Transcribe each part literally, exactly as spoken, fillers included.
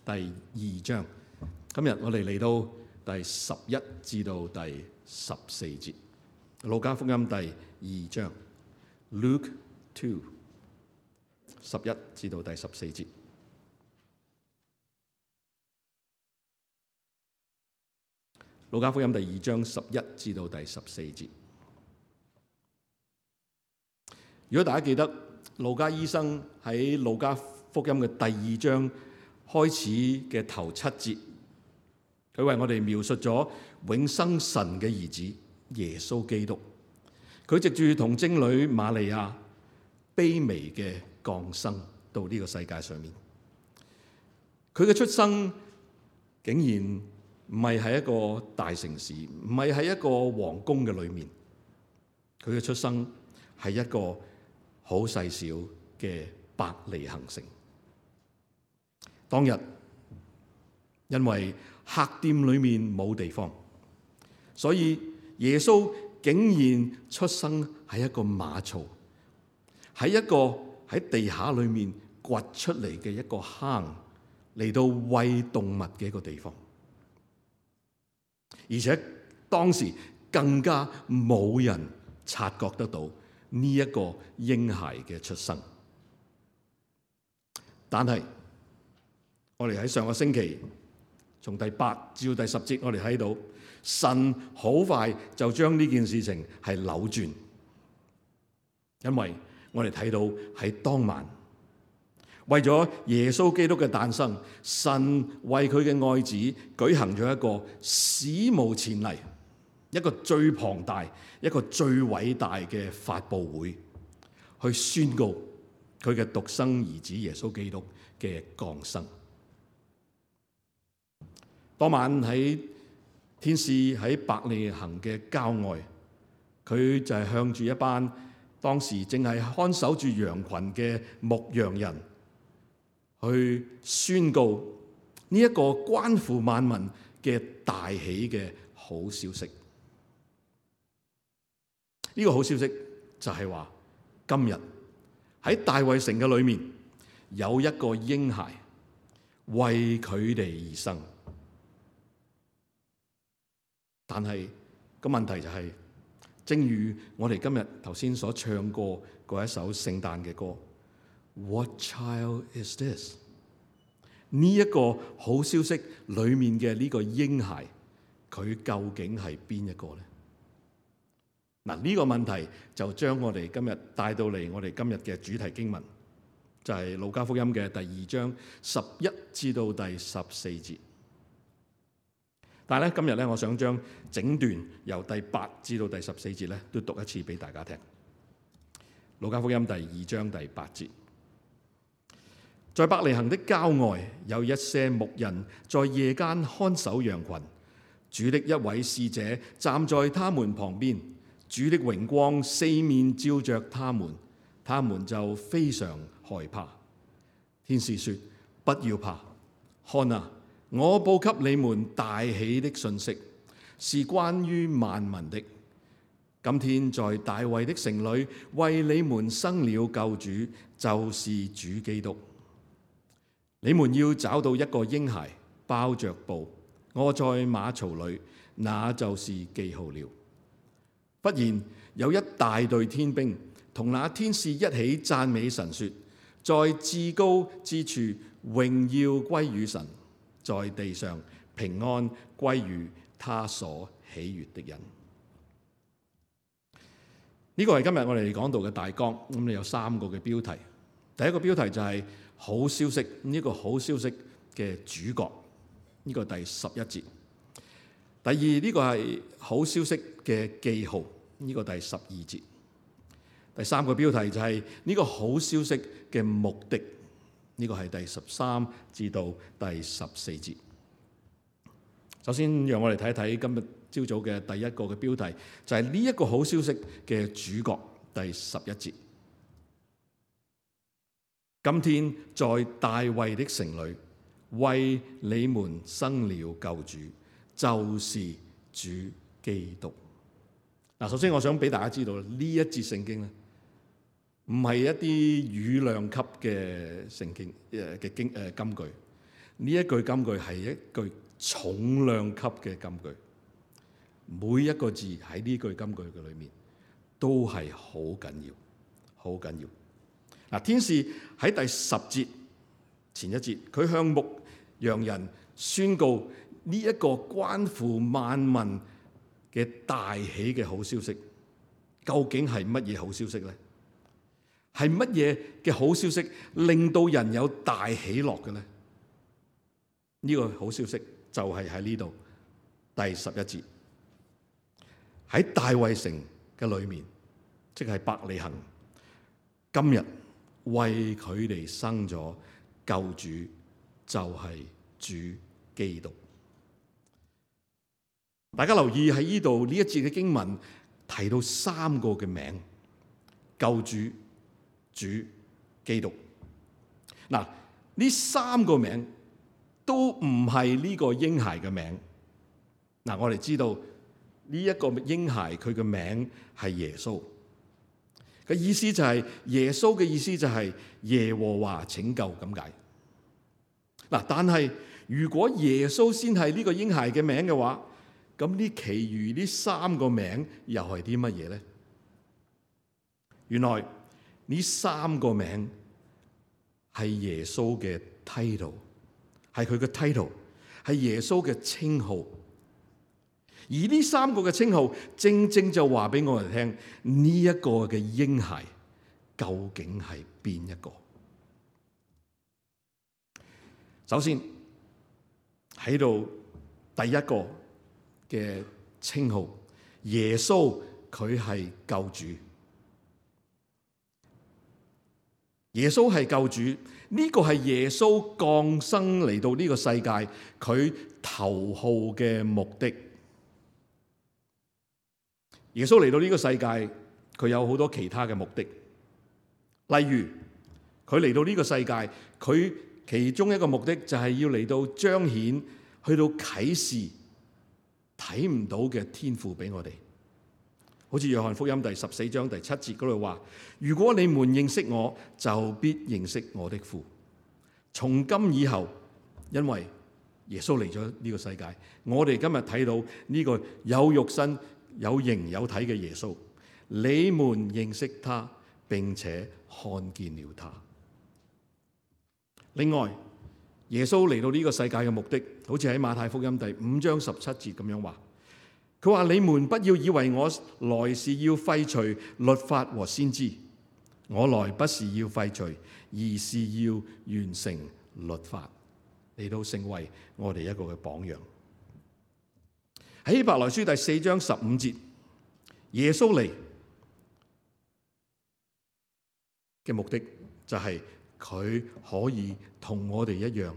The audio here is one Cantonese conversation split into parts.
第二章。今日我哋嚟到第十一至到第十四節，路加福音第二章 Luke two 十一至到第十四節。路加福音第二章十一至到第十四節。如果大家記得，路加醫生喺路加福音嘅第二章開始嘅頭七節，佢為我哋描述咗永生神嘅兒子耶穌基督。佢藉住同貞女瑪利亞卑微嘅降生到呢個世界上面。佢嘅出生竟然唔係喺一個大城市，唔係喺一個皇宮嘅裏面。佢嘅出生係一個好細小嘅伯利恆城。當日因為客店裏面冇地方，所以耶穌竟然出生喺一個馬槽，喺一個喺地下裏面掘出嚟嘅一個坑，嚟到餵動物嘅一個地方。而且當時更加冇人察覺得到呢一個嬰孩嘅出生。但係我哋喺上個星期從第八至到第十節，我哋睇到神好快就將呢件事情係扭轉，因為我哋睇到喺當晚，為咗耶穌基督嘅誕生，神為佢嘅愛子舉行咗一個史無前例、一個最龐大、一個最偉大嘅發佈會，去宣告佢嘅獨生兒子耶穌基督嘅降生。當晚喺天使喺伯利恆嘅郊外，佢就係向住一班當時正係看守住羊群嘅牧羊人去宣告呢一個關乎萬民嘅大喜嘅好消息。呢個好消息就係話，今日喺大衛城嘅裏面有一個嬰孩為佢哋而生。但係個問題就係，正如我哋今日頭先所唱過嗰一首聖誕嘅歌 What child is this？ 呢一個好消息裏面嘅呢個嬰孩，佢究竟係邊一個呢？嗱，呢個問題就將我哋今日帶到嚟我哋今日嘅主題經文，就係路加福音嘅第二章十一至到第十四節。但係咧，今日咧，我想將整段由第八至到第十四節咧，都讀一次俾大家聽。路加福音第二章第八節，在伯利恆的郊外，有一些牧人在夜間看守羊群，主的一位使者站在他們旁邊，主的榮光四面照着他們，他們就非常害怕。天使說：不要怕，看啊！我報給你們大喜的信息，是關於萬民的。今天在大衛的城裏，為你們生了救主，就是主基督。你們要找到一個嬰孩，包着布，臥在馬槽裏，那就是記號了。忽然有一大隊天兵同那天使一起讚美神，說：在至高之處榮耀歸於神，在地上平安歸於他所喜悅的人。呢個係今日我哋講到嘅大綱。咁你有三個嘅標題。第一個標題就係好消息，呢個好消息嘅主角，呢個第十一節。第二，呢個係好消息嘅記號，呢個第十二節。第三個標題就係呢個好消息嘅目的，呢個係第十三至到第十四節。首先，讓我哋睇一睇今日朝早嘅第一個嘅標題，就係呢一個好消息嘅主角，第十一節。今天在大衛的城裏，為你們生了救主，就是主基督。嗱，首先我想俾大家知道，呢一節聖經咧，唔係一啲語量級嘅聖經誒嘅經誒金句。呢一句金句係一句重量級嘅金句，每一個字喺呢句金句嘅裏面都係好緊要，好緊要。嗱，天使喺第十節前一節，佢向牧羊人宣告呢一個關乎萬民嘅大喜嘅好消息，究竟係乜嘢好消息呢？係乜嘢嘅好消息令到人有大喜樂嘅呢？呢個好消息就係喺呢度第十一節，喺大衛城嘅裏面，即係伯利恆，今日為佢哋生咗救主，就係主基督。大家留意喺呢度呢一節嘅經文提到三個嘅名：救主、主、基督。嗱，呢三個名都唔係呢個嬰孩嘅名。嗱，我哋知道呢一個嬰孩佢嘅名係耶穌，嘅意思就係耶穌嘅意思就係耶和華拯救咁解。嗱，但係如果耶穌先係呢個嬰孩嘅名嘅話，咁呢其餘呢三個名又係啲乜嘢咧？原來呢三個名係耶穌嘅 title， 係佢嘅 title， 係耶穌嘅稱號。而呢三個嘅稱號，正正就話俾我哋聽，呢一個嘅嬰孩究竟係邊一個？首先喺度第一個嘅稱號，耶穌佢係救主。耶穌係救主，呢個係耶穌降生嚟到呢個世界佢頭號嘅目的。耶穌嚟到呢個世界，佢有好多其他嘅目的，例如佢嚟到呢個世界，佢其中一個目的就係要嚟到彰顯，去到啟示睇唔到嘅天父俾我哋。好似約翰福音第十四章第七節嗰度話：如果你們認識我，就必認識我的父。從今以後，因為耶穌嚟咗呢個世界，我哋今日睇到呢個有肉身有形有體嘅耶穌，你們認識他，並且看見了他。另外，耶穌嚟到呢個世界嘅目的，好似喺馬太福音第五章十七節咁樣話，佢話：你們不要以為我來是要廢除律法和先知，我來不是要廢除，而是要完成律法，嚟到成為我哋一個嘅榜樣。喺希伯來書第四章十五節，耶穌嚟嘅目的就係佢可以同我哋一樣，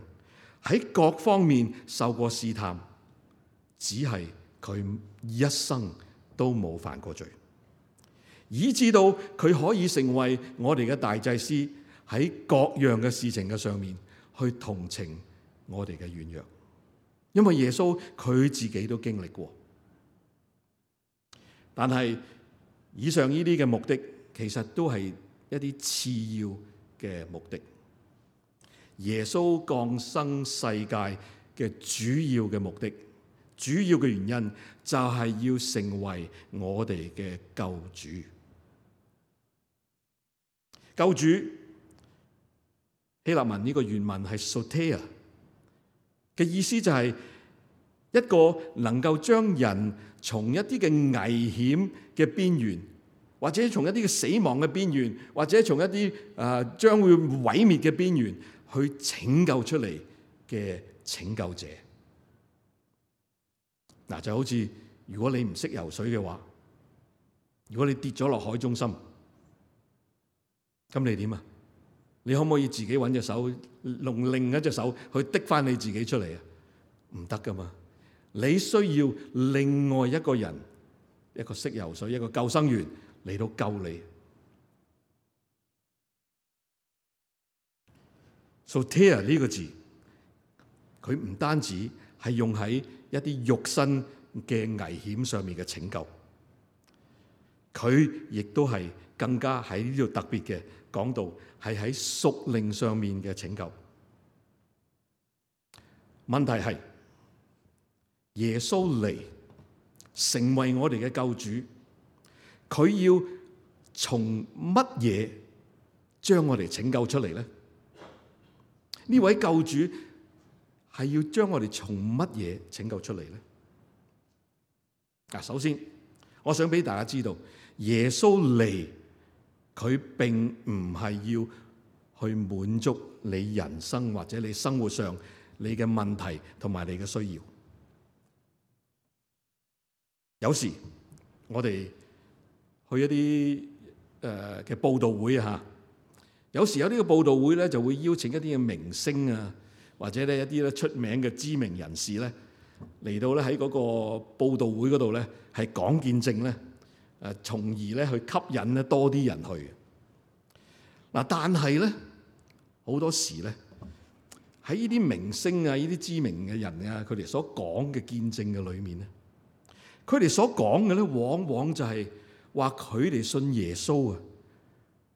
喺各方面受過試探，只係佢一生都冇犯過罪，以至到佢可以成為我哋嘅大祭司，喺各樣嘅事情嘅上面去同情我哋嘅軟弱。因為耶穌佢自己都經歷過。但係以上呢啲嘅目的，其實都係一啲次要嘅目的。耶穌降生世界嘅主要嘅目的，主要嘅原因就係要成為我哋嘅救主。救主希臘文呢個原文係 soteia 嘅意思，就係一個能夠將人從一啲嘅危險嘅邊緣，或者從一啲嘅死亡嘅邊緣，或者從一啲誒將會毀滅嘅邊緣去拯救出嚟嘅拯救者。嗱，就好似如果你唔識游水嘅話，如果你跌咗落海中心，咁你點啊？你可唔可以自己揾隻手，用另一隻手去滴翻你自己出嚟啊？唔得噶嘛！你需要另外一個人，一個識游水，一個救生員嚟到救你。soteia 呢個字，佢唔單止係用喺一啲肉身嘅危險上面嘅拯救，佢亦都係更加喺呢度特別嘅講到係喺屬靈上面嘅拯救。問題係耶穌嚟成為我哋嘅救主，佢要從乜嘢將我哋拯救出嚟咧？呢位救主係要將我哋從乜嘢拯救出嚟咧？嗱，首先我想俾大家知道，耶穌嚟佢並唔係要去滿足你人生或者你生活上你嘅問題同埋你嘅需要。有時我哋去一啲誒嘅佈道會啊，有時有啲嘅佈道會咧就會邀請一啲嘅明星啊，或者咧一啲咧出名嘅知名人士咧嚟到咧喺嗰個佈道會嗰度咧係講見證咧，誒從而咧去吸引咧多啲人去。嗱，但係咧好多時咧喺呢啲明星啊、呢啲知名嘅人啊，佢哋所講嘅見證嘅裏面咧，佢哋所講嘅咧往往就係話佢哋信耶穌啊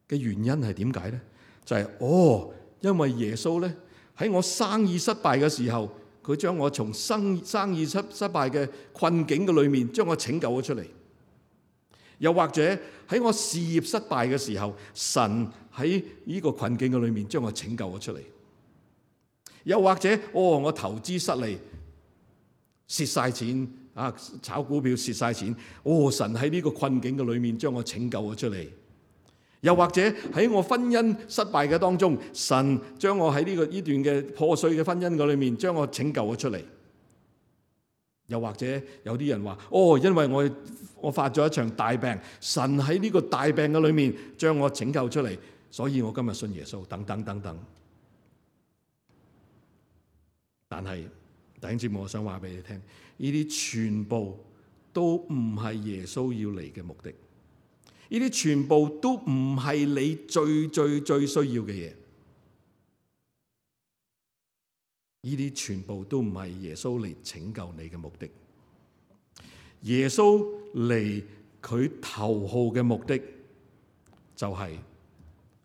嘅原因係點解咧？就係、是、哦，因為耶穌咧喺我生意失敗嘅時候，佢將我從生生意失失敗嘅困境嘅裏面將我拯救咗出嚟。又或者喺我事業失敗嘅時候，神喺呢個困境嘅裏面將我拯救咗出嚟。又或者哦，我投資失利，蝕晒錢啊，炒股票蝕晒錢，哦，神喺呢個困境嘅裏面將我拯救咗出嚟。又或者喺我婚姻失敗嘅當中，神將我喺呢個呢段嘅破碎嘅婚姻嘅裏面將我拯救咗出嚟。又或者有啲人話，哦，因為我我發咗一場大病，神喺呢個大病嘅裏面將我拯救出嚟，所以我今日信耶穌，等等等等。但係弟兄姊妹，我想話俾你聽，呢啲全部都唔係耶穌要嚟嘅目的，呢啲全部都唔係你最最最需要嘅嘢，呢啲全部都唔係耶穌嚟拯救你嘅目的。耶穌嚟佢頭號嘅目的就係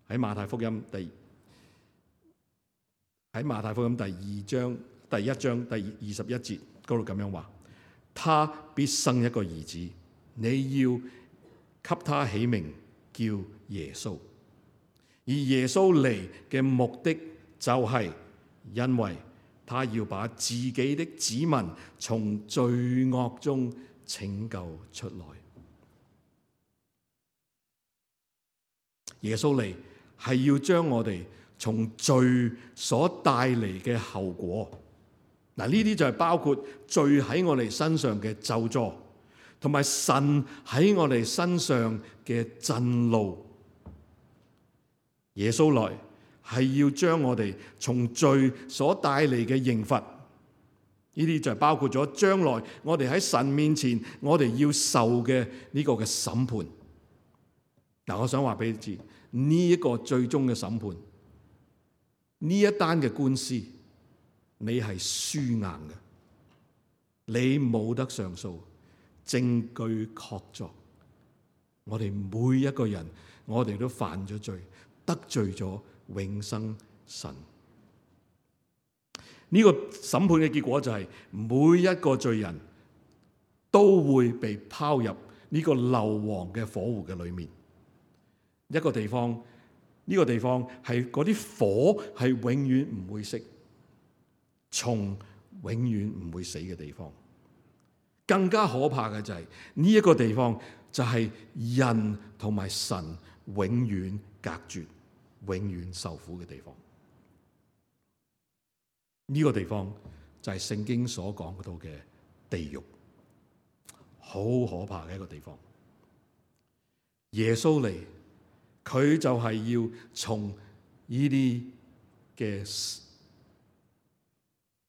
喺馬太福音第喺馬太福音第二章第一章第二十一節嗰度咁樣話：他必生一個兒子，你要給他起名叫耶穌。而耶穌嚟嘅目的就係因為他要把自己的子民從罪惡中拯救出來。耶穌嚟係要將我哋從罪所帶嚟嘅後果，嗱，呢啲就係包括罪喺我哋身上嘅咒詛，同埋神喺我哋身上嘅震怒。耶穌來係要將我哋從罪所帶嚟嘅刑罰，呢啲就係包括咗將來我哋喺神面前我哋要受嘅呢個嘅審判。嗱，我想話俾你知，呢一個最終嘅審判，呢一單嘅官司，你係輸硬嘅，你冇得上訴，證據確鑿。我哋每一個人，我哋都犯咗罪，得罪咗永生神。呢個審判嘅結果就係每一個罪人都會被拋入呢個硫磺嘅火湖嘅裏面。一個地方，呢個地方係嗰啲火係永遠唔會熄，蟲永遠唔會死嘅地方。更加可怕嘅就係呢一個地方就係人同埋神永遠隔絕、永遠受苦嘅地方。呢個地方就係聖經所講到嘅地獄，好可怕嘅一個地方。耶穌嚟，佢就係要從呢啲嘅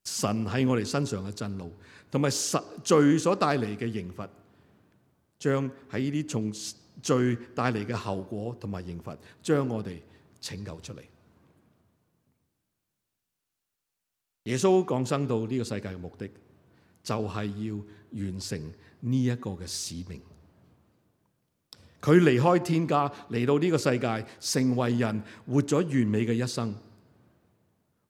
神喺我哋身上嘅震怒，同埋罪所帶嚟嘅刑罰，將喺呢啲從罪帶嚟嘅後果同埋刑罰，將我哋拯救出嚟。耶穌降生到呢個世界嘅目的，就係要完成呢一個嘅使命。佢離開天家嚟到呢個世界，成為人，活咗完美嘅一生，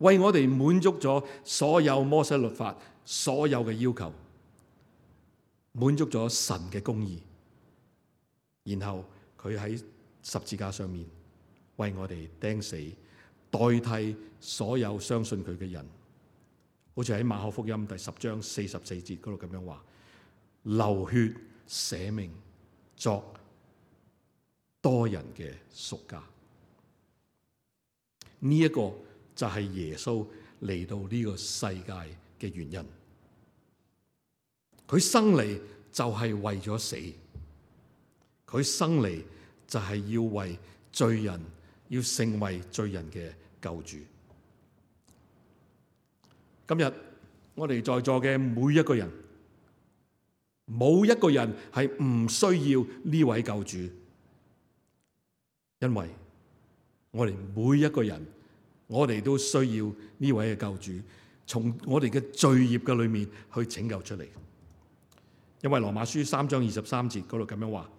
為我哋滿足咗所有摩西律法所有嘅要求，滿足咗神嘅公義，然後佢喺十字架上面為我哋釘死，代替所有相信佢嘅人。好似喺馬可福音第十章四十四節嗰度咁樣話，流血捨命作多人嘅贖價。呢、這、一個就係耶穌嚟到呢個世界嘅原因。佢生嚟就係為咗死，佢生嚟就係要為罪人，要成為罪人嘅救主。今日我哋在座嘅每一個人，冇一個人係唔需要呢位救主，因為我哋每一個人，我哋都需要呢位嘅救主，從我哋嘅罪孽嘅裏面去拯救出嚟。因為羅馬書三章二十三節嗰度咁樣話，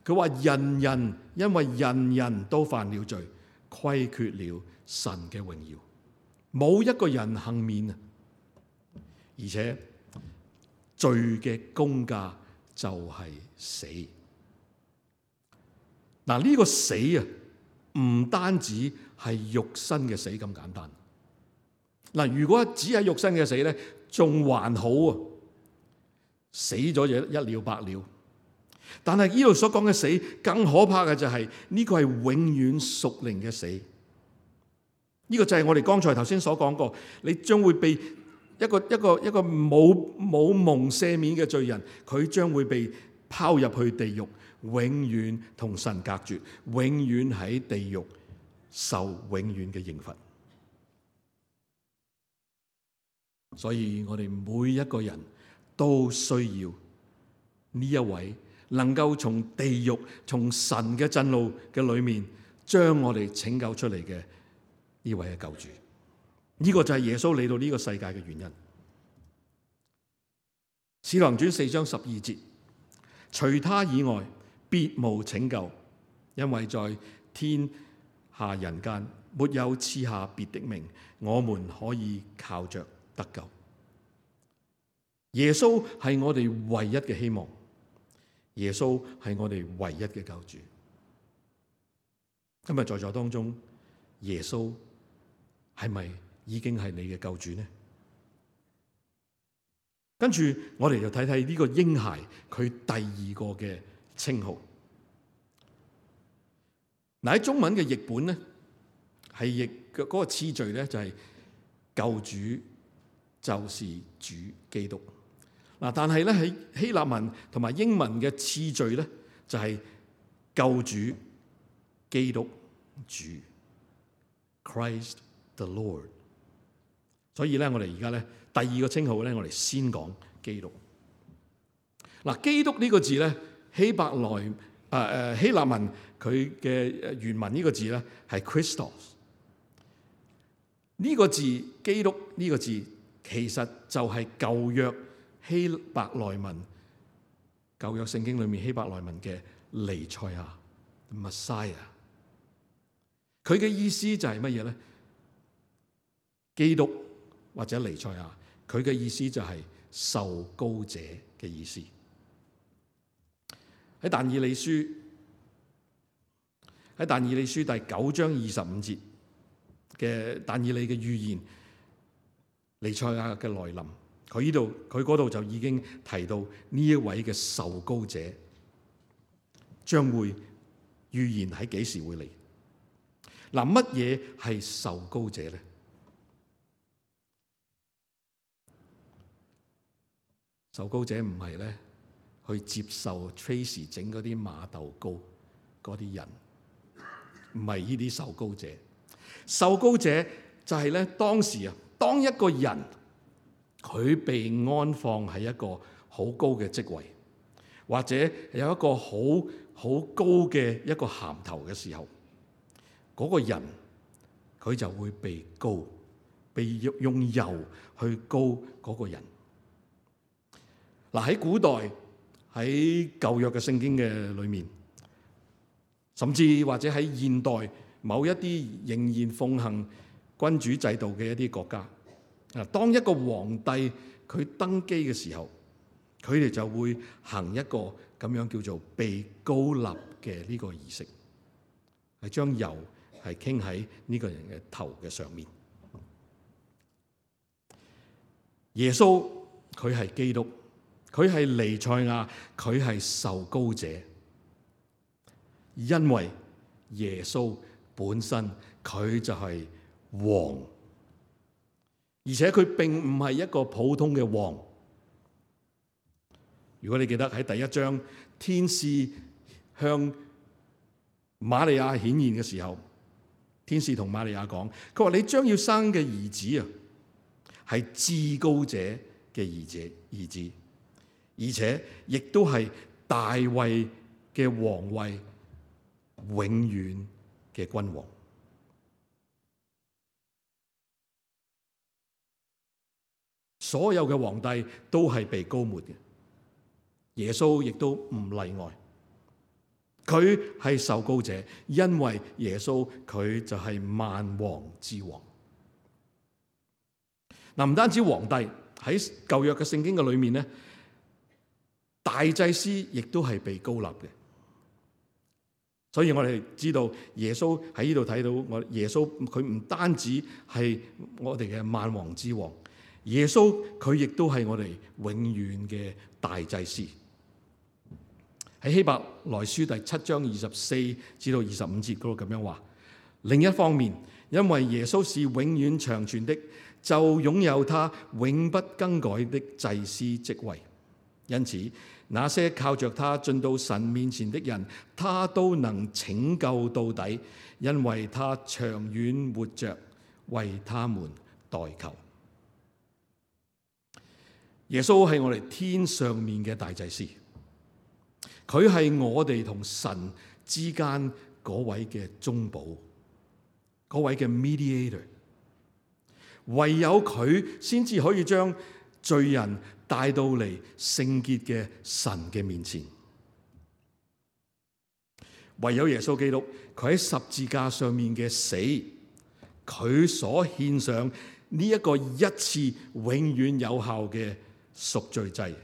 佢話人人因為人人都犯了罪，虧缺了神嘅榮耀，冇一個人幸免啊！而且罪嘅工價就係死。嗱，呢個死啊，唔單止係肉身嘅死咁簡單。嗱，如果只係肉身嘅死咧，仲還好啊，死咗就一了百了。但係呢度所講嘅死，更可怕嘅就係呢個係永遠屬靈嘅死。呢個就係我哋剛才頭先所講過，你將會被一個一個一個冇冇蒙赦免嘅罪人，佢將會被拋入去地獄，永遠同神隔絕，永遠喺地獄受永遠嘅刑罰。所以我哋每一個人都需要呢一位能夠從地獄、從神嘅震怒嘅裏面將我哋拯救出嚟嘅呢位嘅救主。呢、這個就係耶穌嚟到呢個世界嘅原因。使徒行傳四章十二節，除他以外，別無拯救，因為在天下人間沒有賜下別的名，我們可以靠着得救。耶穌係我哋唯一嘅希望，耶穌係我哋唯一嘅救主。今日在座當中，耶穌係咪已經係你嘅救主呢？跟住我哋就睇睇呢個嬰孩佢第二個嘅稱號。嗱，喺中文嘅譯本咧，係譯嘅嗰個次序咧就係救主就是主基督。嗱，但係咧喺希臘文同埋英文嘅次序咧就係救主基督主 Christ the Lord。所以咧，我哋而家咧第二個稱號咧，我哋先講基督。嗱，基督呢個字咧，希伯來誒誒希臘文佢嘅原文呢個字咧係 Christos。呢個字基督呢個字其實就係舊約希伯來文舊約聖經裏面希伯來文嘅彌賽亞 Messiah。佢嘅意思就係乜嘢咧？基督或者彌賽亞，佢嘅意思就係受膏者嘅意思。喺但以理書喺但以理書第九章二十五節嘅但以理嘅預言，彌賽亞嘅來臨，佢呢度佢嗰度就已經提到呢一位嘅受膏者將會預言喺幾時會嚟。嗱，乜嘢係受膏者咧？受膏者唔係咧去接受 Tracy 整嗰啲馬豆糕嗰啲人，唔係呢啲受膏者。受膏者就係咧當時啊，當一個人佢被安放喺一個好高嘅職位，或者有一個好好高嘅一個銜頭嘅時候，嗰個人佢就會被膏，被用油去膏嗰個人。嗱，喺古代喺舊約嘅聖經嘅裏面，甚至或者喺現代某一啲仍然奉行君主制度嘅一啲國家。啊，當一個皇帝佢登基嘅時候，佢哋就會行一個咁樣叫做被膏立嘅呢個儀式，係將油係傾喺呢個人嘅頭嘅上面。耶穌佢係基督，佢係彌賽亞，佢係受膏者，因為耶穌本身佢就係王，而且佢並唔係一個普通嘅王。如果你記得喺第一章，天使向瑪利亞顯現嘅時候，天使同瑪利亞講，佢話你將要生嘅兒子啊，係至高者嘅兒子，兒子，而且亦都係大衛嘅皇位，永遠嘅君王。所有嘅皇帝都係被膏抹嘅，耶穌亦都唔例外。佢係受膏者，因為耶穌佢就係萬王之王。嗱，唔單止皇帝，喺舊約嘅聖經嘅裏面咧，大祭司亦都係被膏立嘅。所以我哋知道耶穌喺呢度睇到，我耶穌佢唔單止係我哋嘅萬王之王，耶穌佢亦都係我哋永遠嘅大祭司。喺希伯來書第七章二十四至到二十五節嗰度咁樣話，另一方面，因為耶穌是永遠長存的，就擁有他永不更改的祭司職位。因此，那些靠着他進到神面前的人，他都能拯救到底，因為他長遠活着，為他們代求。耶穌係我哋天上面嘅大祭司。佢係我哋同神之間嗰位嘅中保，嗰位嘅 mediator， 唯有佢先至可以將罪人帶到嚟聖潔嘅神嘅面前。唯有耶穌基督，佢喺十字架上面嘅死，佢所獻上呢一個一次永遠有效嘅贖罪祭。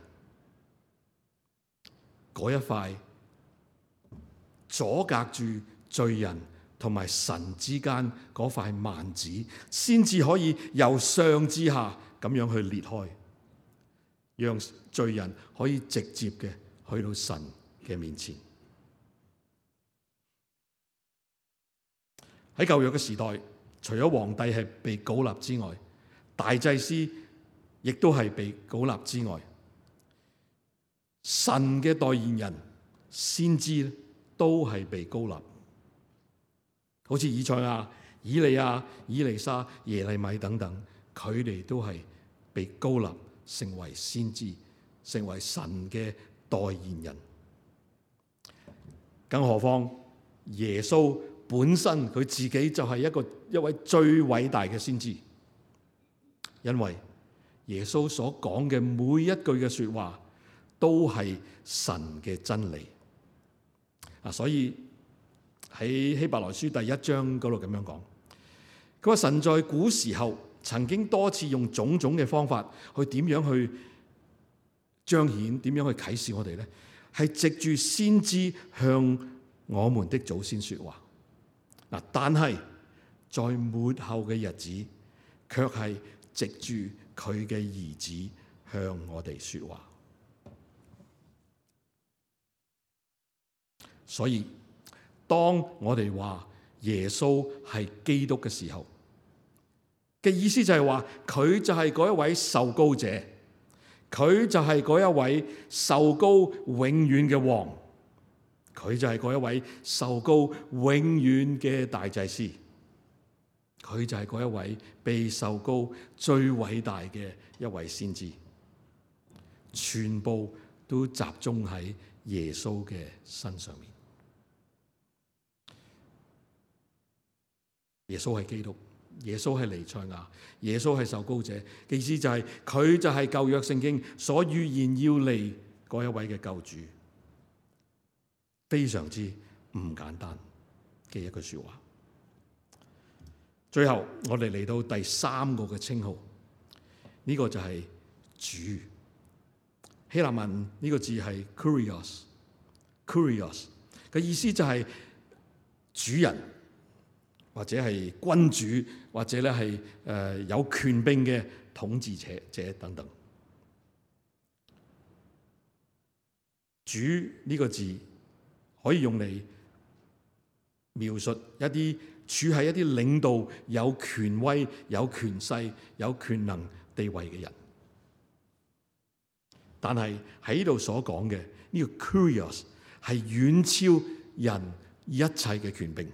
嗰一塊阻隔住罪人同埋神之間嗰塊幔子，先至可以由上至下咁樣去裂開，讓罪人可以直接嘅去到神嘅面前。喺舊約嘅時代，除咗皇帝係被膏立之外，大祭司亦都係被膏立之外，神嘅代言人先知都係被膏立，好似以賽亞、以利亞、以利沙、耶利米等等，佢哋都係被膏立成為先知，成為神嘅代言人。更何況耶穌本身佢自己就係一個一位最偉大嘅先知，因為耶穌所講嘅每一句嘅說話都係神嘅真理啊！所以喺希伯來書第一章嗰度咁樣講，佢話神在古時候曾經多次用種種嘅方法去點樣去彰顯，點樣去啟示我哋呢？係藉住先知向我們的祖先說話嗱，但係在末後嘅日子，卻係藉住佢嘅兒子向我哋說話。所以，當我哋話耶穌係基督嘅時候嘅意思就係話，佢就係嗰一位受膏者，佢就係嗰一位受膏永遠嘅王，佢就係嗰一位受膏永遠嘅大祭司，佢就係嗰一位被受膏最偉大嘅一位先知，全部都集中喺耶穌嘅身上面。耶穌係基督，耶穌係彌賽亞，耶穌係受膏者嘅意思就係佢就係舊約聖經所預言要嚟嗰一位嘅救主，非常之唔簡單嘅一句說話。最後我哋嚟到第三個嘅稱號，呢、這個就係主。希臘文呢個字係 Kurios，Kurios 嘅意思就係主人，或者係君主，或者咧係誒有權柄嘅統治者者等等。主呢個字可以用嚟描述一啲處喺一啲領導、有權威、有權勢、有權能地位嘅人。但係喺呢度所講嘅呢個 Kurios 係遠超人一切嘅權柄。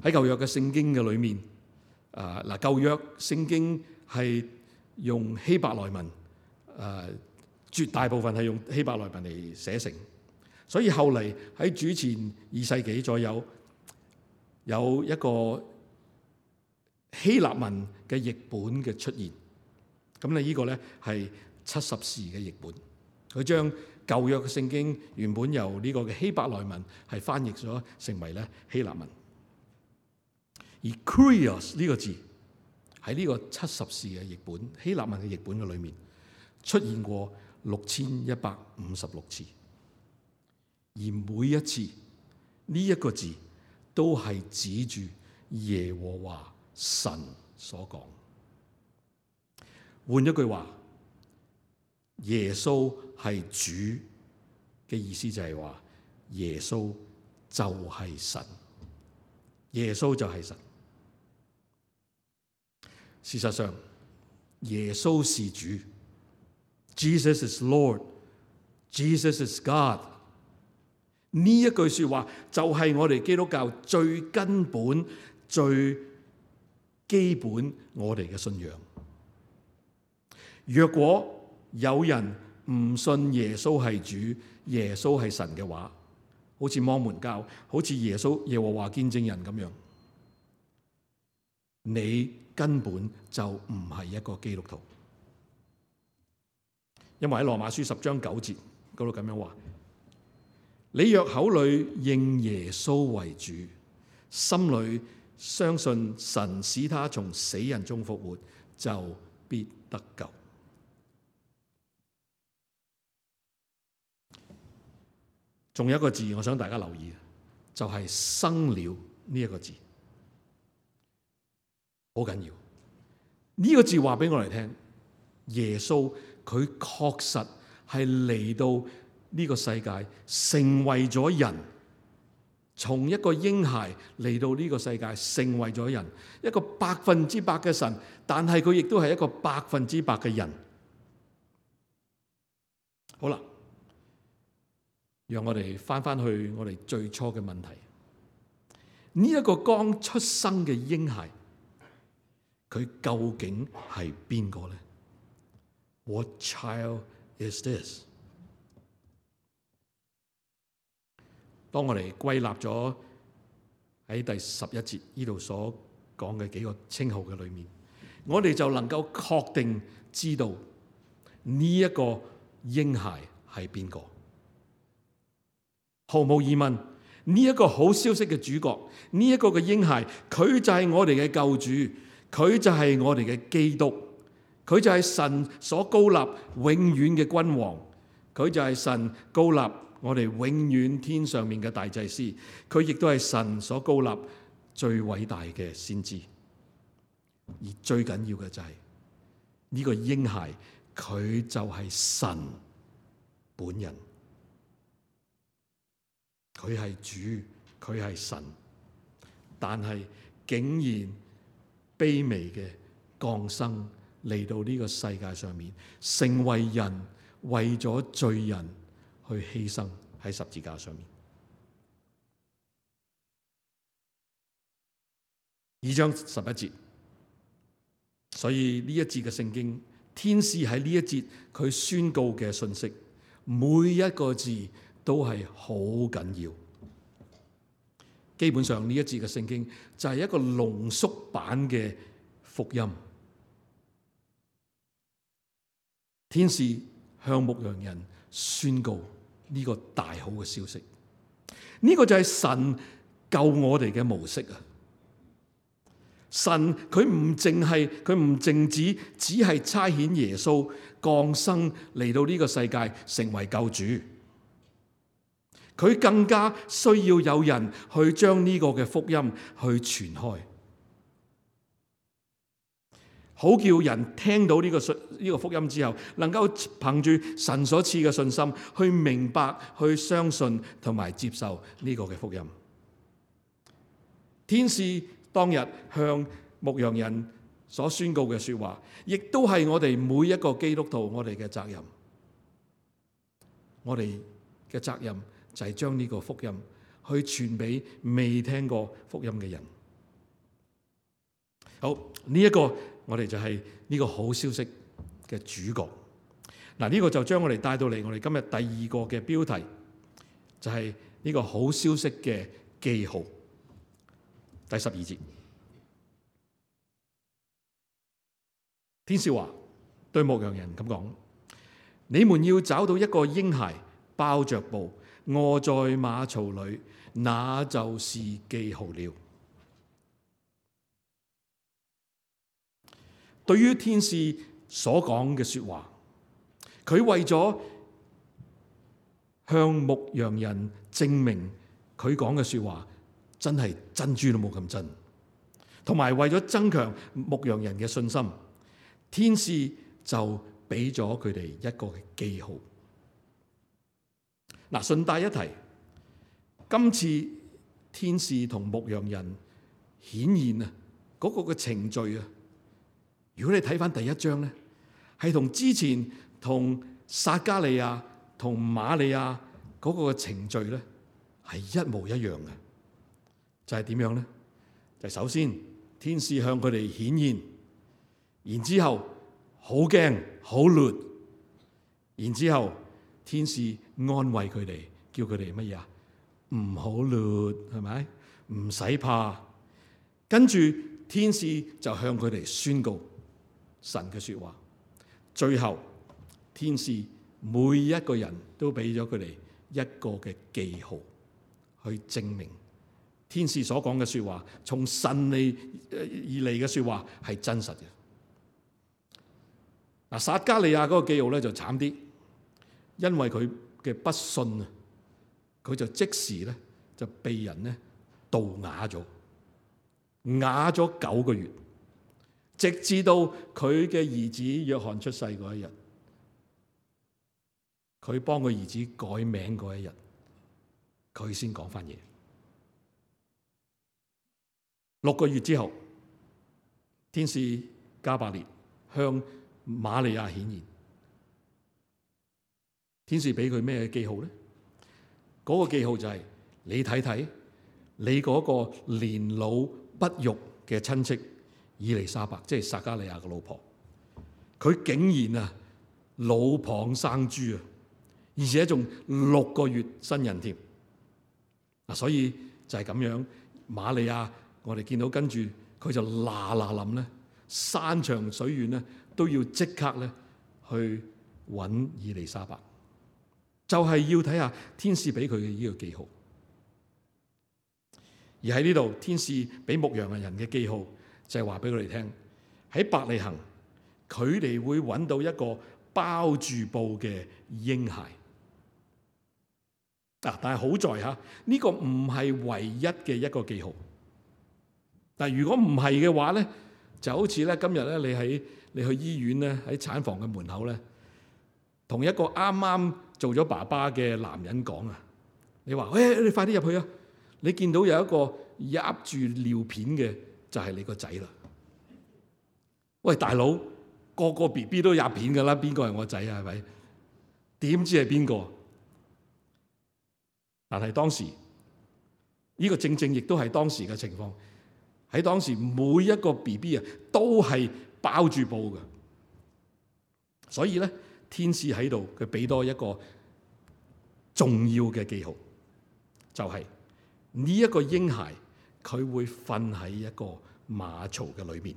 喺舊約嘅聖經嘅裏面，啊嗱舊約聖經係用希伯來文，誒、啊、絕大部分係用希伯來文嚟寫成，所以後嚟喺主前二世紀左右，有一個希臘文嘅譯本嘅出現。咁你呢個咧係七十士嘅譯本，佢將舊約嘅聖經原本由呢個嘅希伯來文係翻譯咗成為咧希臘文。而 Kurios 呢個字喺呢個七十士嘅譯本希臘文嘅譯本嘅裏面出現過六千一百五十六次，而每一次呢一個字都係指住耶和華神所講。換一句話，耶穌係主嘅意思就係話，耶穌就係神，耶穌就係神。事實上，耶穌是主 ，Jesus is Lord，Jesus is God。呢一句說話就係我哋基督教最根本、最基本我哋嘅信仰。若果有人唔信耶穌係主、耶穌係神嘅話，好似摩門教、好似耶穌耶和華見證人咁樣，你根本就唔係一個基督徒。因為喺羅馬書十章九節嗰度咁樣話：你若口裏認耶穌為主，心裏相信神使他從死人中復活，就必得救。仲有一個字，我想大家留意，就係、是、生了呢一個字，好緊要。呢、這個字話俾我哋聽，耶穌佢確實係嚟到呢個世界，成為咗人，從一個嬰孩嚟到呢個世界，成為咗人，一個百分之百嘅神，但係佢亦都係一個百分之百嘅人。好啦。讓我哋翻翻去我哋最初嘅問題。呢、這、一個剛出生嘅嬰孩，佢究竟係邊個呢？ What child is this？ 當我哋歸納咗喺第十一節呢度所講嘅幾個稱號嘅裏面，我哋就能夠確定知道呢一個嬰孩係邊個。毫無疑問，呢、這、一個好消息嘅主角，呢、這、一個嘅嬰孩，佢就係我哋嘅救主，佢就係我哋嘅基督，佢就係神所高立永遠嘅君王，佢就係神高立我哋永遠天上面嘅大祭司，佢亦都係神所高立最偉大嘅先知。而最緊要嘅就係、是、呢、這個嬰孩，佢就係神本人。佢係主，佢係神，但係竟然卑微嘅降生嚟到呢個世界上面，成為人，為咗罪人去犧牲喺十字架上面。二章十一節，所以呢一節嘅聖經，天使喺呢一節佢宣告嘅信息，每一個字都係好緊要。基本上呢一節嘅聖經就係一個濃縮版嘅福音。天使向牧羊人宣告呢個大好嘅消息，呢個就係神救我哋嘅模式啊！神佢唔淨係佢唔淨止只係差遣耶穌降生嚟到呢個世界成為救主，佢更加需要有人去將呢個嘅福音去傳開，好叫人聽到呢個信呢個福音之後，能夠憑住神所賜嘅信心去明白、去相信同埋接受呢個嘅福音。天使當日向牧羊人所宣告嘅說話，亦都係我哋每一個基督徒我哋嘅責任。我哋嘅責任就係將呢個福音去傳俾未聽過福音嘅人。好，呢一個我哋就係呢個好消息嘅主角。嗱，呢個就將我哋帶到嚟我哋今日第二個嘅標題，就係呢個好消息嘅記號。第十二節，天使話對牧羊人咁講：你們要找到一個嬰孩，包着布，臥在馬槽裏，那就是記號了。對於天使所講嘅說話，佢為咗向牧羊人證明佢講嘅說話真係珍珠都冇咁真，同埋為咗增強牧羊人嘅信心，天使就俾咗佢哋一個記號。嗱，順帶一提，今次天使同牧羊人顯現啊嗰個嘅程序啊，如果你睇翻第一章咧，係同之前同撒迦利亞同瑪利亞嗰個嘅程序咧係一模一樣嘅。就係點樣咧？就首先天使向佢哋顯現，然之後好驚好亂，然之後天使安慰佢哋，叫佢哋乜嘢啊？唔好亂，係咪？唔使怕。跟住天使就向佢哋宣告神嘅說話。最後天使每一個人都俾咗佢哋一個嘅記號，去證明天使所講嘅說話，從神嚟而嚟嘅說話係真實嘅。嗱，撒迦利亞嗰個記號咧就慘啲，因為佢嘅不信啊，佢就即時咧就被人咧毒啞咗，啞咗九個月，直至到佢嘅兒子約翰出世嗰一日，佢幫佢兒子改名嗰一日，佢先講翻嘢。六個月之後，天使加百列向瑪利亞顯現。天使俾佢咩記號咧？嗰、那個記號就係、是、你睇睇，你嗰個年老不育嘅親戚以利沙伯，即係撒迦利亞嘅老婆，佢竟然啊老蚌生珠啊，而且仲六個月新人添。嗱，所以就係咁樣，瑪利亞。我哋見到跟住佢就嗱嗱臨咧，山長水遠咧都要即刻咧去揾以利沙伯，就係要睇下天使俾佢嘅呢個記號。而喺呢度，天使俾牧羊人嘅記號就係話俾佢哋聽，喺伯利恆佢哋會揾到一個包住布嘅嬰孩。嗱，但係好在嚇呢個唔係唯一嘅一個記號。但如果唔係嘅話咧，就好似咧今日咧，你喺你去醫院咧，喺產房嘅門口咧，同一個啱啱做咗爸爸嘅男人講啊，你話：喂，你快啲入去啊！你見到有一個握住尿片嘅，就係你個仔啦。喂，大佬，個個 B B 都握片噶啦，邊個係我仔啊？係咪？點知係邊個？但係當時呢個正正亦都係當時嘅情況。喺當時每一個 B B 啊都係包住布嘅，所以咧天使喺度佢俾多一個重要嘅記號，就係呢一個嬰孩佢會瞓喺一個馬槽嘅裏邊，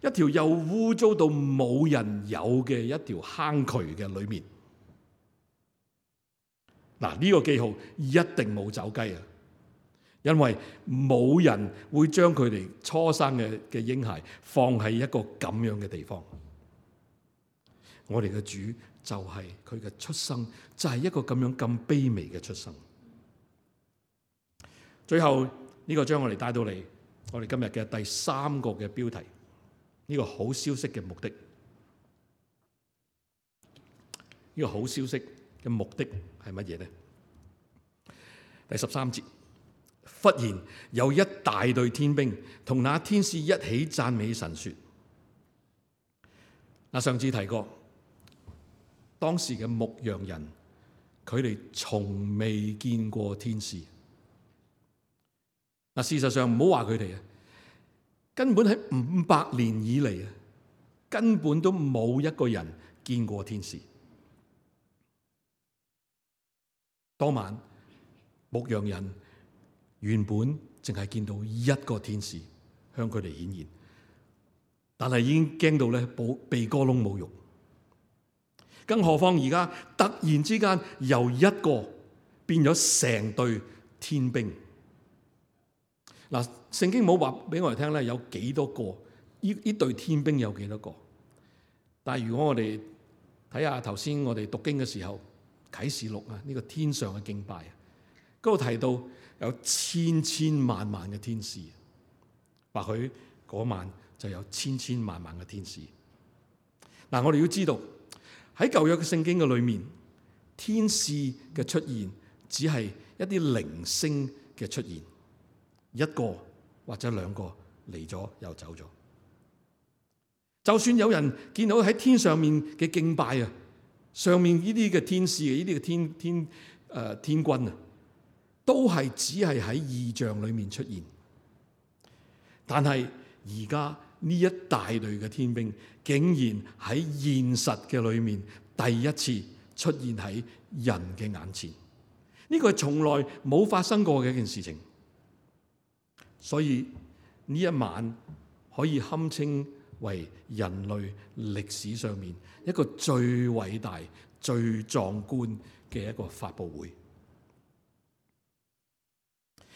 一條又污糟到冇人有嘅一條坑渠嘅裏面。嗱，呢個記號一定冇走雞啊！因為冇人會將佢哋初生嘅嘅嬰孩放喺一個咁樣嘅地方。我哋嘅主就係佢嘅出生，就係一個咁樣咁卑微嘅出生。最後呢個將我哋帶到嚟我哋今日嘅第三個嘅標題，呢個好消息嘅目的。呢個好消息嘅目的係乜嘢呢？第十三節，忽然有一大隊天兵同那天使一起讚美神說。嗱，上次提過，當時嘅牧羊人，佢哋從未見過天使。嗱，事實上唔好話佢哋啊，根本喺五百年以嚟啊，根本都冇一個人見過天使。當晚牧羊人原本淨係見到一個天使向佢哋顯現，但係已經驚到咧鼻哥窿冇肉，更何況而家突然之間由一個變咗成隊天兵。嗱，聖經冇話俾我哋聽咧有幾多個，呢呢隊天兵有幾多個？但係如果我哋睇下頭先我哋讀經嘅時候，啟示錄啊，呢個天上嘅敬拜啊，嗰度提到有千千萬萬嘅天使，或許嗰晚就有千千萬萬嘅天使。嗱，我哋要知道喺舊約嘅聖經嘅裏面，天使嘅出現只係一啲零星嘅出現，一個或者兩個嚟咗又走咗。就算有人見到喺天上面嘅敬拜啊，上面呢啲嘅天使，呢啲嘅天天誒、呃、天軍啊，都係只係喺異象裏面出現。但係而家呢一大隊嘅天兵，竟然喺現實嘅裏面第一次出現喺人嘅眼前。呢個係從來冇發生過嘅一件事情。所以呢一晚可以堪稱為人類歷史上面一個最偉大、最壯觀嘅一個發佈會。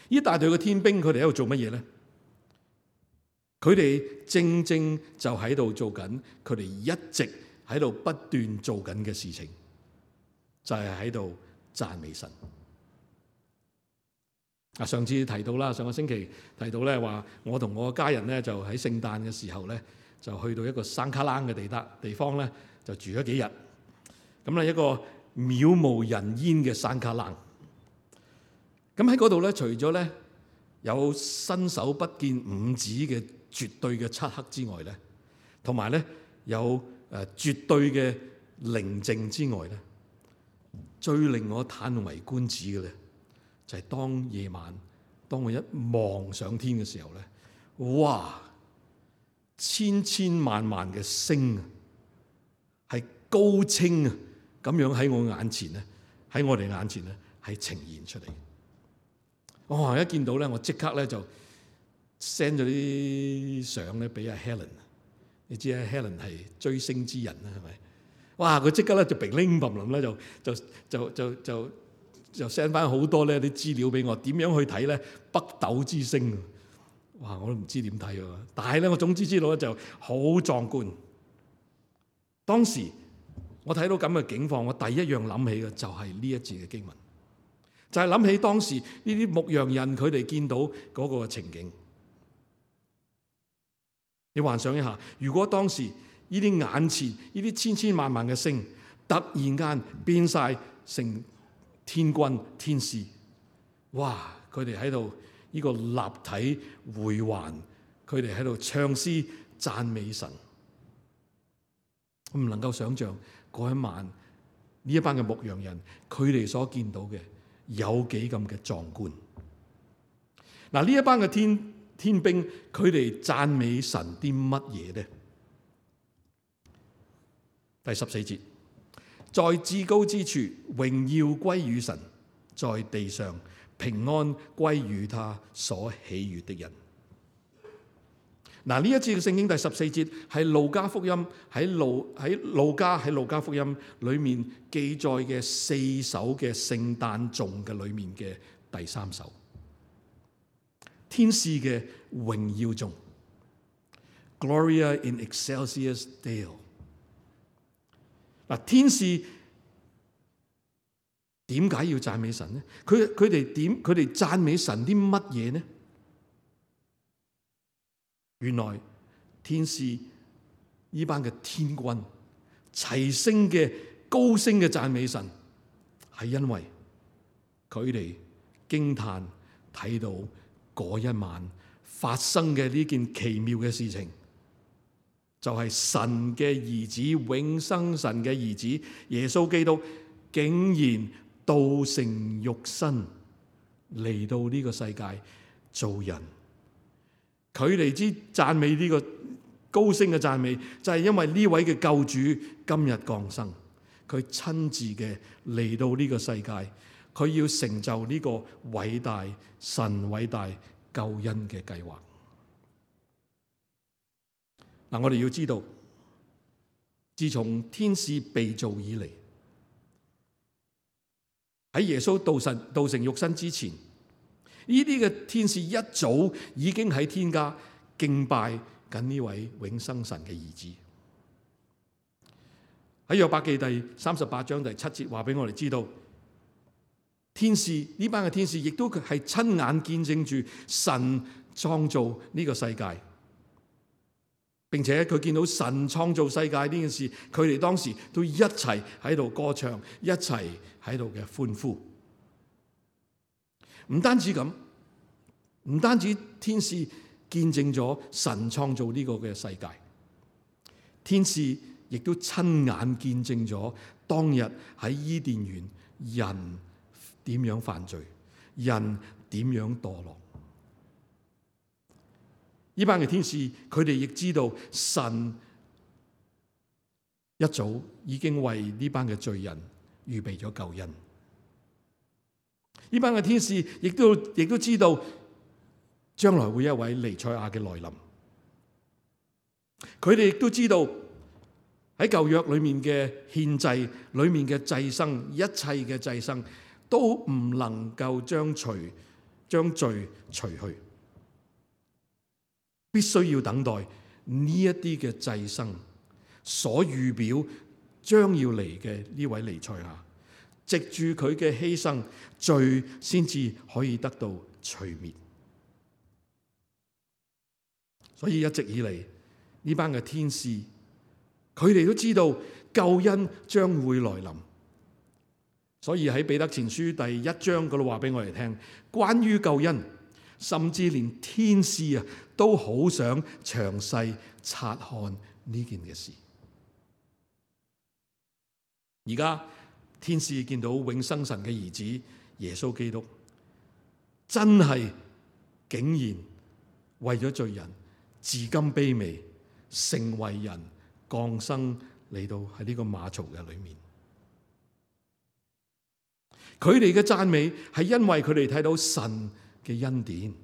呢大隊嘅天兵，佢哋喺度做乜嘢咧？佢哋正正就喺度做緊佢哋一直喺度不斷做緊嘅事情，就係喺度讚美神。啊，上次提到啦，上個星期提到咧話，我同我家人咧就喺聖誕嘅時候咧，就去到一個山卡冷嘅地得地方咧，就住咗幾日。咁咧一個渺無人煙嘅山卡冷。咁喺嗰度咧，除咗咧有伸手不見五指嘅絕對嘅漆黑之外咧，同埋咧有誒絕對嘅寧靜之外咧，最令我嘆為觀止嘅咧，就係當夜晚，當我一望上天嘅時候咧，哇！千千萬萬嘅星啊，係高清啊，咁樣喺我眼前咧，喺我哋眼前咧，係呈現出嚟。哇！一見到咧，我即刻咧就 send 咗啲相咧俾阿 Helen。你知啊 ，Helen 係追星之人啦，係咪？哇！佢即刻咧就乒铃乓啷咧，就就就就就就 send 翻好多咧啲資料俾我，點樣去睇咧北斗之星？哇！我都唔知點睇喎，但係咧我總之知道咧就好壯觀。當時我睇到咁嘅境況，我第一樣諗起嘅就係呢一節嘅經文，就係諗起當時呢啲牧羊人佢哋見到嗰個情景。你幻想一下，如果當時呢啲眼前呢啲千千萬萬嘅星突然間變晒成天軍天使，哇！佢哋喺度呢個立體回環，佢哋喺度唱詩讚美神。我唔能夠想象嗰一晚呢一班嘅牧羊人佢哋所見到嘅有幾咁嘅壯觀。嗱，呢一班嘅天天兵佢哋讚美神啲乜嘢呢？第十四節，在至高之處榮耀歸於神，在地上平安歸於他所喜悅的人。嗱，呢一節嘅聖經第十四節係路加福音喺路喺路加喺路加福音裏面記載嘅四首嘅聖誕頌嘅裏面嘅第三首。天使嘅榮耀中 ，Gloria in excelsis Deo。嗱，天使點解要讚美神呢？佢佢哋點？佢哋讚美神啲乜嘢呢？原來天使呢班嘅天軍齊聲嘅高聲嘅讚美神，係因為佢哋驚嘆睇到嗰一晚發生嘅呢件奇妙嘅事情，就係神嘅兒子，永生神嘅兒子耶穌基督，竟然道成肉身嚟到呢個世界做人。佢哋之讚美呢個高聲嘅讚美，就係因為呢位嘅救主今日降生，佢親自嘅嚟到呢個世界，佢要成就呢個偉大神偉大救恩嘅計劃。嗱，我哋要知道，自從天使被造以嚟，喺耶穌道成道成肉身之前，呢啲嘅天使一早已經喺天家敬拜緊呢位永生神嘅兒子。喺約伯記第三十八章第七節話俾我哋知道，天使呢班嘅天使亦都係親眼見證住神創造呢個世界，並且佢見到神創造世界呢件事，佢哋當時都一齊喺度歌唱，一齊喺度嘅歡呼。唔單止咁，唔單止天使見證咗神創造呢個嘅世界，天使亦都親眼見證咗當日喺伊甸園人點樣犯罪，人點樣墮落。呢班嘅天使，佢哋亦知道神一早已經為呢班嘅罪人預備咗救恩。呢班嘅天使亦都亦都知道將來會有一位彌賽亞嘅來臨。佢哋亦都知道喺舊約裏面嘅獻祭裏面嘅祭牲，一切嘅祭牲都唔能夠將除將罪除去，必須要等待呢一啲嘅祭牲所預表將要嚟嘅呢位彌賽亞，藉住佢嘅犧牲，罪先至可以得到除滅。所以一直以嚟呢班嘅天使，佢哋都知道救恩將會來臨。所以喺彼得前書第一章嗰度話俾我哋聽，關於救恩，甚至連天使啊都好想詳細察看呢件嘅事。而家天使見到永生神嘅兒子耶穌基督，真係竟然為咗罪人自甘卑微，成為人，降生嚟到喺呢個馬槽嘅裏面。佢哋嘅讚美係因為佢哋睇到神嘅恩典，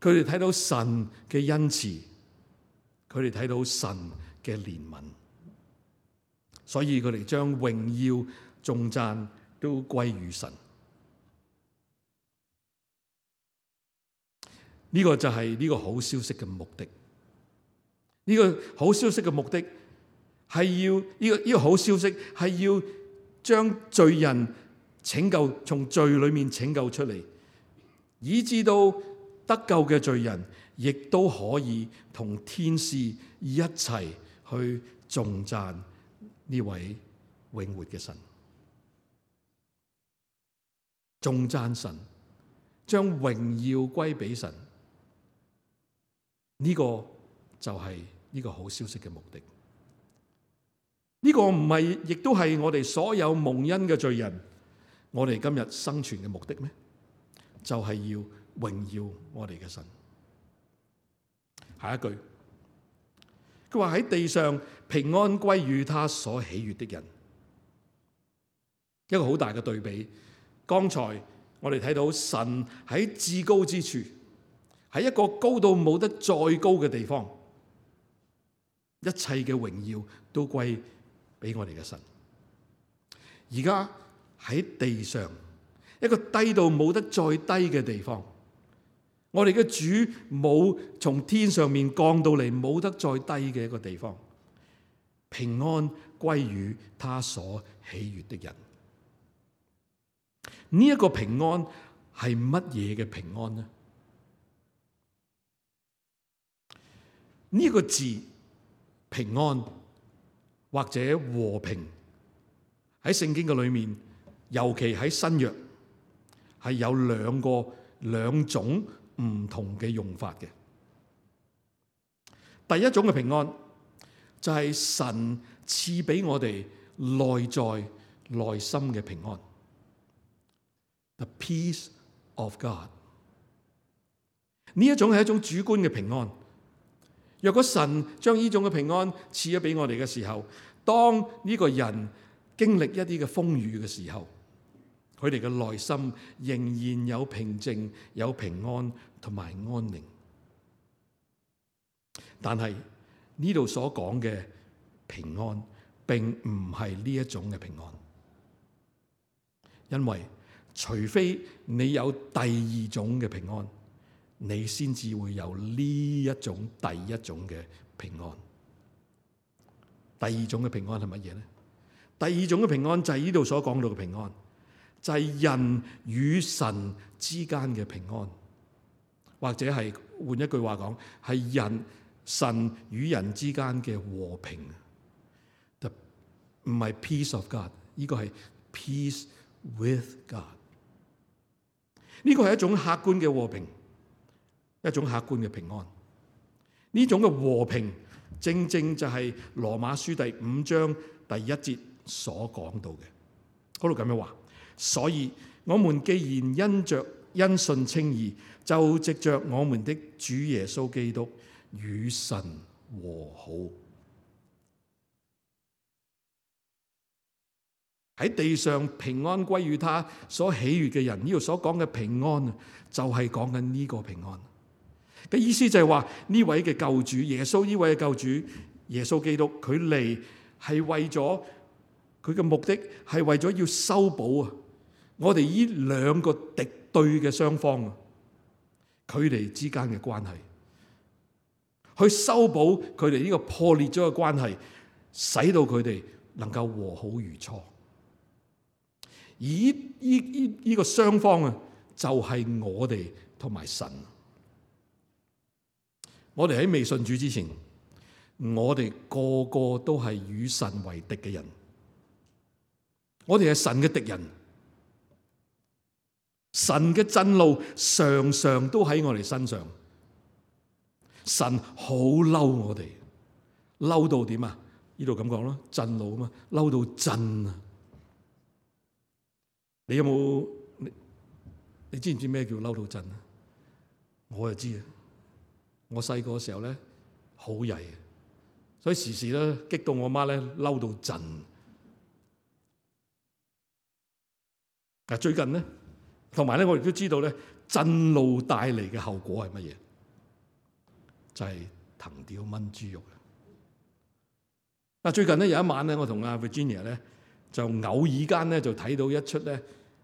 佢哋睇到神嘅恩慈，佢哋睇到神嘅憐憫，所以佢哋將榮耀頌讚都歸於神。呢個就係呢個好消息嘅目的。呢個好消息嘅目的係要呢個呢個好消息係要將罪人拯救，從罪裏面拯救出嚟，以致到得救嘅罪人亦都可以同天使一齊去頌讚呢位永活嘅神，頌讚神，將榮耀歸俾神。呢個就係呢個好消息嘅目的。呢個唔係，亦都係我哋所有蒙恩嘅罪人，我哋今日生存嘅目的咩？就係要榮耀我哋嘅神。下一句，佢話喺地上平安歸於他所喜悅的人。一個好大嘅對比。剛才我哋睇到神喺至高之處，喺一個高到冇得再高嘅地方，一切嘅榮耀都歸俾我哋嘅神。而家喺地上一個低到冇得再低嘅地方，我哋嘅主冇從天上面降到嚟，冇得再低嘅一個地方。平安歸於他所喜悅的人。呢一個平安係乜嘢嘅平安呢？呢個字平安或者和平喺聖經嘅裏面，尤其喺新約係有兩個兩種唔同嘅用法嘅。第一種嘅平安就係神賜俾我哋內在內心嘅平安。The peace of God。呢一種係一種主觀嘅平安。若果神將呢種嘅平安賜咗俾我哋嘅時候，當呢個人經歷一啲嘅風雨嘅時候，佢哋嘅內心仍然有平靜、有平安同埋安寧。但係呢度所講嘅平安並唔係呢一種嘅平安，因為除非你有第二種嘅平安，你先至會有呢一種第一種嘅平安。第二種嘅平安係乜嘢呢？第二種嘅平安就係呢度所講到嘅平安，就係人與神之間嘅平安，或者係換一句話講，係人神與人之間嘅和平。唔係 peace of God， 呢個係 peace with God。呢個係一種客觀嘅和平，一種客觀嘅平安。呢種嘅和平，正正就係羅馬書第五章第一節所講到嘅。嗰度咁樣話，所以我們既然因着因信稱義，就藉着我們的主耶穌基督與神和好。喺地上平安歸於他所喜悅嘅人，呢度所講嘅平安就係講緊呢個平安嘅意思，就係話呢位嘅救主耶穌，呢位嘅救主耶穌基督，佢嚟係為咗佢嘅目的係為咗要修補啊我哋呢兩個敵對嘅雙方啊佢哋之間嘅關係，去修補佢哋呢個破裂咗嘅關係，使到佢哋能夠和好如初。而呢呢呢個雙方啊，就係我哋同埋神。我哋喺未信主之前，我哋個個都係與神為敵嘅人。我哋係神嘅敵人，神嘅震怒常常都喺我哋身上。神好嬲我哋，嬲到點啊？呢度咁講咯，震怒啊嘛，嬲到震啊！你有冇你，你知唔知咩叫嬲到震啊？我就知啊！我細個嘅時候咧，好曳，所以時時咧激到我媽咧嬲到震。嗱，最近咧，同埋咧，我亦都知道咧，震怒帶嚟嘅後果係乜嘢？就係藤條炆豬肉。嗱，最近咧有一晚咧，我同阿 Virginia 咧就偶爾間咧就睇到一出咧。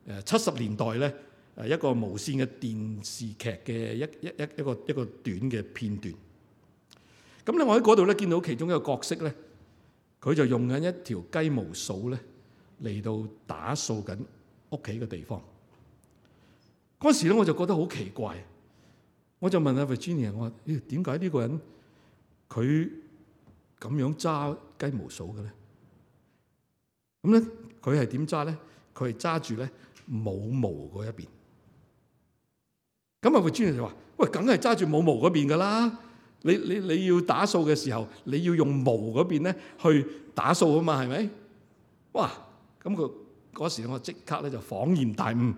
誒七十年代咧誒一個無線嘅電視劇嘅一一一一個一個短嘅片段。咁咧我喺嗰度咧見到其中一個角色咧，佢就用緊一條雞毛掃咧嚟到打掃緊屋企嘅地方。嗰時咧我就覺得好奇怪，我就問阿 Virginia， 我話：咦，點解呢個人佢咁樣揸雞毛掃嘅咧？咁咧佢係點揸咧？佢係揸住咧冇毛嗰一邊。咁啊，個專員就話：喂，梗係揸住冇毛嗰邊噶啦！你你你要打掃嘅時候，你要用毛嗰邊咧去打掃啊嘛，係咪？哇！咁佢嗰時我即刻咧就恍然大悟，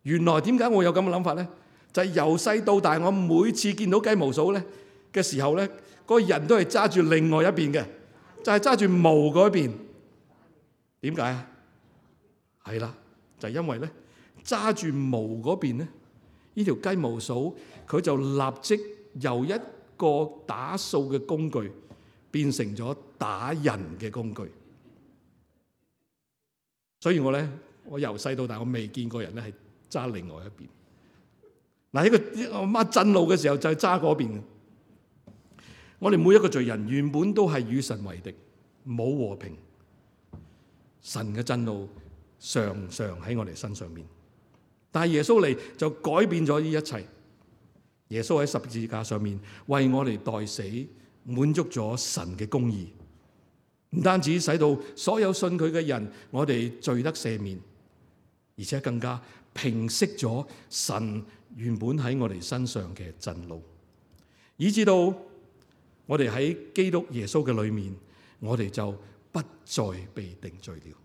原來點解我有咁嘅諗法咧？就係由細到大，我每次見到雞毛掃咧嘅時候咧，嗰個人都係揸住另外一邊嘅，就係揸住毛嗰邊。點解啊？係啦，就係因為咧揸住毛嗰邊咧，呢條雞毛掃佢就立即由一個打掃嘅工具變成咗打人嘅工具。所以我咧，我由細到大我未見過人咧係揸另外一邊。嗱，呢個阿媽震怒嘅時候就係揸嗰邊嘅。我哋每一個罪人原本都係與神為敵，冇和平。神嘅震怒常常喺我哋身上面，但係耶穌嚟就改變咗呢一切。耶穌喺十字架上面為我哋代死，滿足咗神嘅公義，唔單止使到所有信佢嘅人，我哋罪得赦免，而且更加平息咗神原本喺我哋身上嘅震怒，以至到我哋喺基督耶穌嘅裏面，我哋就不再被定罪了。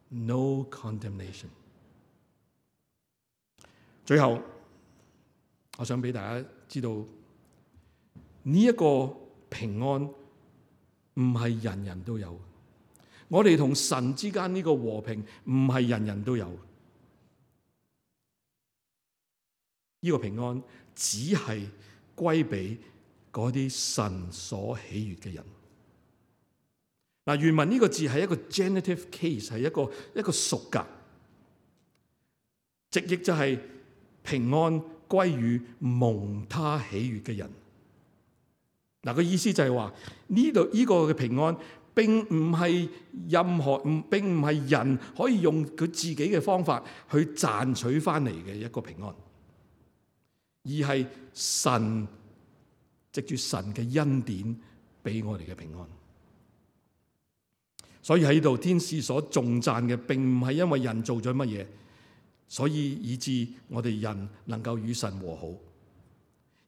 No condemnation。最後，我想俾大家知道，呢一個平安唔係人人都有。我哋同神之間呢個和平唔係人人都有。呢個平安只係歸俾嗰啲神所喜悅嘅人。嗱，原文呢個字係一個 genitive case， 係一個一個屬格，直譯就係平安歸於蒙他喜悅嘅人。嗱，個意思就係話呢度呢個嘅平安並唔係任何唔並唔係人可以用佢自己嘅方法去賺取翻嚟嘅一個平安，而係神藉住神嘅恩典俾我哋嘅平安。所以喺呢度天使所頌讚嘅，並唔係因為人做咗乜嘢，所以以致我哋人能夠與神和好，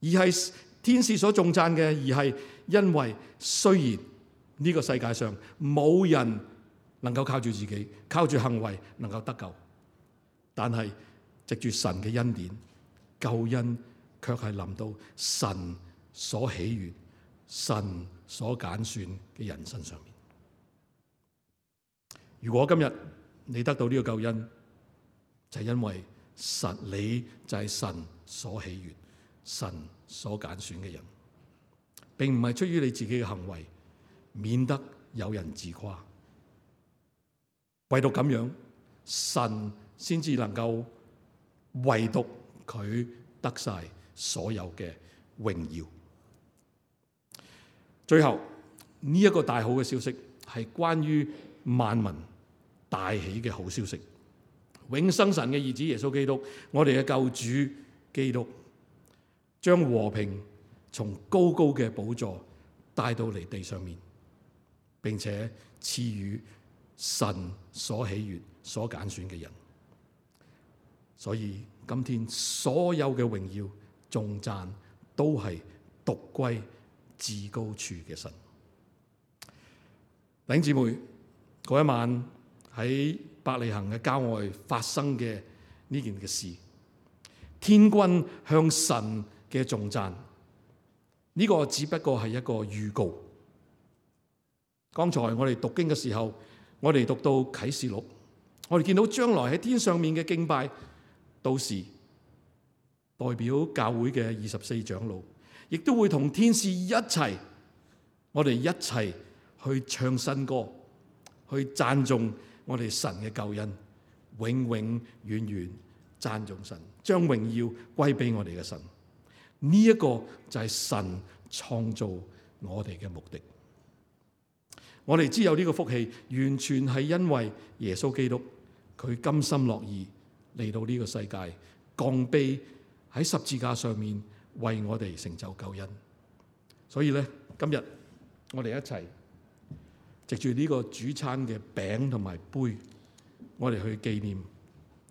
而係天使所頌讚嘅，而係因為雖然呢個世界上冇人能夠靠住自己，靠住行為能夠得救，但係藉住神嘅恩典，救恩卻係臨到神所喜悅、神所揀選嘅人身上面。如果今日你得到呢個救恩，就係因為神，你就係神所喜悅、神所揀選嘅人，並唔係出於你自己嘅行為，免得有人自誇。唯獨咁樣，神先至能夠唯獨佢得晒所有嘅榮耀。最後呢一個大好嘅消息係關於萬民大喜嘅好消息。永生神嘅兒子耶穌基督，我哋嘅救主基督，將和平從高高嘅寶座帶到嚟地上面，並且賜予神所喜悅、所揀選嘅人。所以今天所有嘅榮耀、頌讚都係獨歸至高處嘅神。弟兄姊妹，嗰一晚喺伯利恆嘅郊外發生嘅呢件嘅事，天軍向神嘅頌讚，呢個只不過係一個預告。剛才我哋讀經嘅時候，我哋讀到啟示錄，我哋見到將來喺天上面嘅敬拜，到時代表教會嘅二十四長老，亦都會同天使一齊，我哋一齊去唱新歌，去讚頌我哋神嘅救恩，永永遠遠讚頌神，將榮耀歸俾我哋嘅神。呢一個就係神創造我哋嘅目的。我哋知有呢個福氣，完全係因為耶穌基督，佢甘心樂意嚟到呢個世界，降卑喺十字架上面為我哋成就救恩。所以咧，今日我哋一齊藉住呢個主餐嘅餅同埋杯，我哋去紀念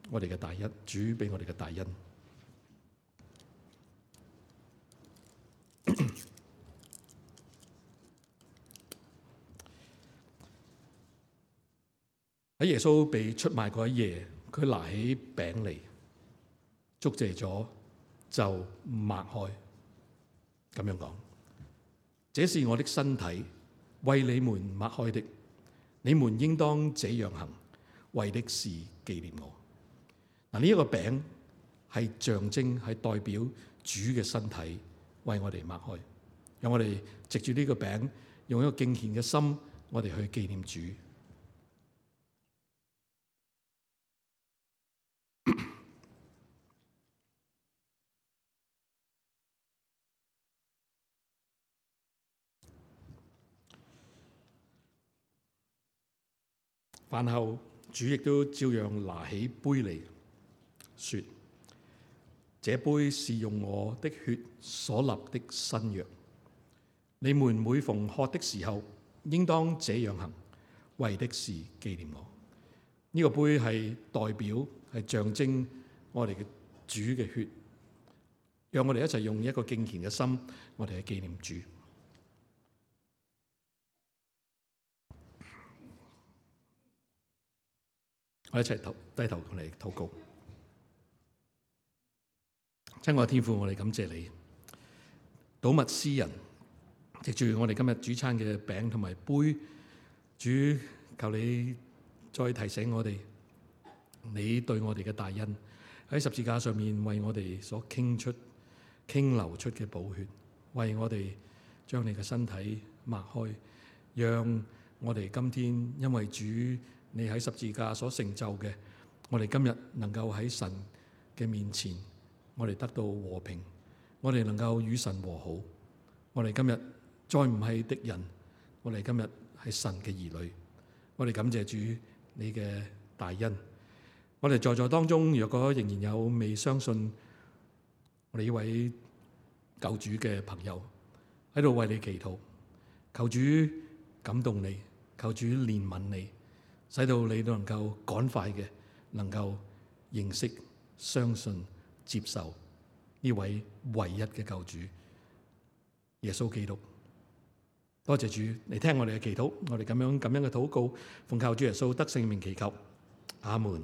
我哋嘅大恩，主俾我哋嘅大恩。喺耶穌被出賣嗰一夜，佢拿起餅嚟，祝謝咗就擘開，咁樣講：這是我的身體，為你們擘開的，你們應當這樣行，為的是紀念我。嗱，呢一個餅係象徵，係代表主嘅身體為我哋擘開，讓我哋藉住呢個餅，用一個敬虔嘅心，我哋去紀念主。飯後主亦都照樣拿起杯嚟，說：這杯是用我的血所立的新約，你們每逢喝的時候，應當這樣行，為的是紀念我。呢、這個杯係代表，係象徵我哋嘅主嘅血，讓我哋一齊用一個敬虔嘅心，我哋去紀念主。我一齊頭低頭同你禱告。親愛嘅天父，我哋感謝你，睹物思人，藉住我哋今日主餐嘅餅同埋杯，主求你再提醒我哋，你對我哋嘅大恩，喺十字架上面為我哋所傾出、傾流出嘅寶血，為我哋將你嘅身體擘開，讓我哋今天因為主你喺十字架所成就嘅，我哋今日能夠喺神嘅面前，我哋得到和平，我哋能夠與神和好，我哋今日再唔係敵人，我哋今日係神嘅兒女，我哋感謝主你嘅大恩。我哋在座當中，若果仍然有未相信我哋呢位救主嘅朋友，喺度為你祈禱，求主感動你，求主憐憫你，使到你都能夠趕快嘅能夠認識、相信、接受呢位唯一嘅救主耶穌基督。多謝主嚟聽我哋嘅祈禱，我哋咁樣咁樣嘅禱告，奉靠主耶穌得聖名祈求，阿門。